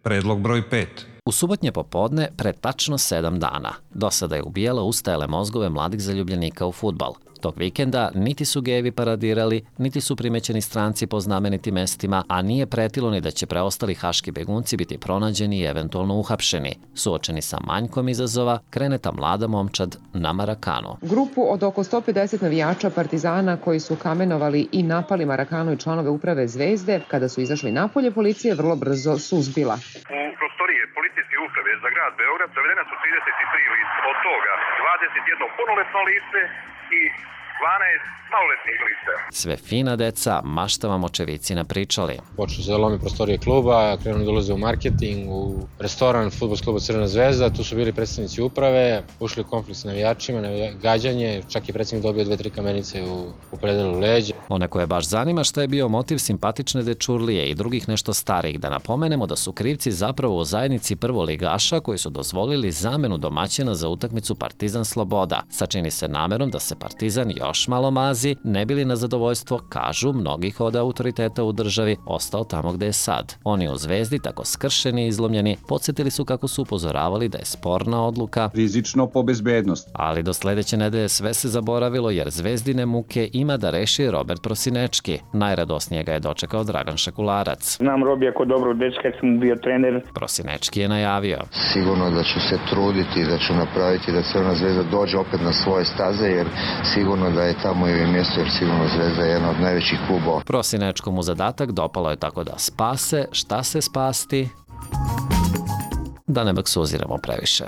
Predlog broj 5. U subotnje popodne, pre tačno 7 dana, do sada je ubijalo ustajale mozgove mladih zaljubljenika u fudbal. Tog vikenda niti su gejevi paradirali, niti su primećeni stranci po znamenitim mestima, a nije pretilo ni da će preostali haški begunci biti pronađeni i eventualno uhapšeni. Suočeni sa manjkom izazova, krene ta mlada momčad na Marakanu. Grupu od oko 150 navijača Partizana koji su kamenovali i napali Marakanu i članove uprave Zvezde, kada su izašli napolje, policija vrlo brzo suzbila. U prostorije policijske uprave za grad Beograd zavedena su 33 lica, od toga 21 punoletno lice i 12 maloletnih lica. Sve fina deca, mašta vam očevici napričali. Počnu se da lomi prostorije kluba, krenu da ulaze u marketing, u restoran fudbalskog kluba Crvena zvezda, tu su bili predstavnici uprave, ušli u konflikt s navijačima, gađanje, čak i predsednik dobio 2-3 kamenice u predelu leđa. One koje baš zanima šta je bio motiv simpatične dečurlije i drugih nešto starih, da napomenemo da su krivci zapravo u zajednici prvoligaša koji su dozvolili zamenu domaćina za utakmicu Partizan Sloboda. Sačini se namerom da se Partizan još malo mazi, ne bili na zadovoljstvo, kažu, mnogih od autoriteta u državi, ostao tamo gde je sad. Oni u Zvezdi, tako skršeni i izlomljeni, podsjetili su kako su upozoravali da je sporna odluka rizično po bezbednost. Ali do sledeće nedelje sve se zaboravilo jer Zvezdine muke ima da reši Robert Prosinečki. Najradosnije ga je dočekao Dragan Šakularac. Znam Robija ko dobro dečka, kad sam bio trener. Prosinečki je najavio. Sigurno da ću se truditi, da ću napraviti da Crvena zvezda dođe opet na svoje staze, jer sigurno da je tamo i mjesto, jer sigurno Zvezda je jedna od najvećih klubova. Prosinečkom mu zadatak dopalo je tako da spase šta se spasti, da ne baksuziramo previše.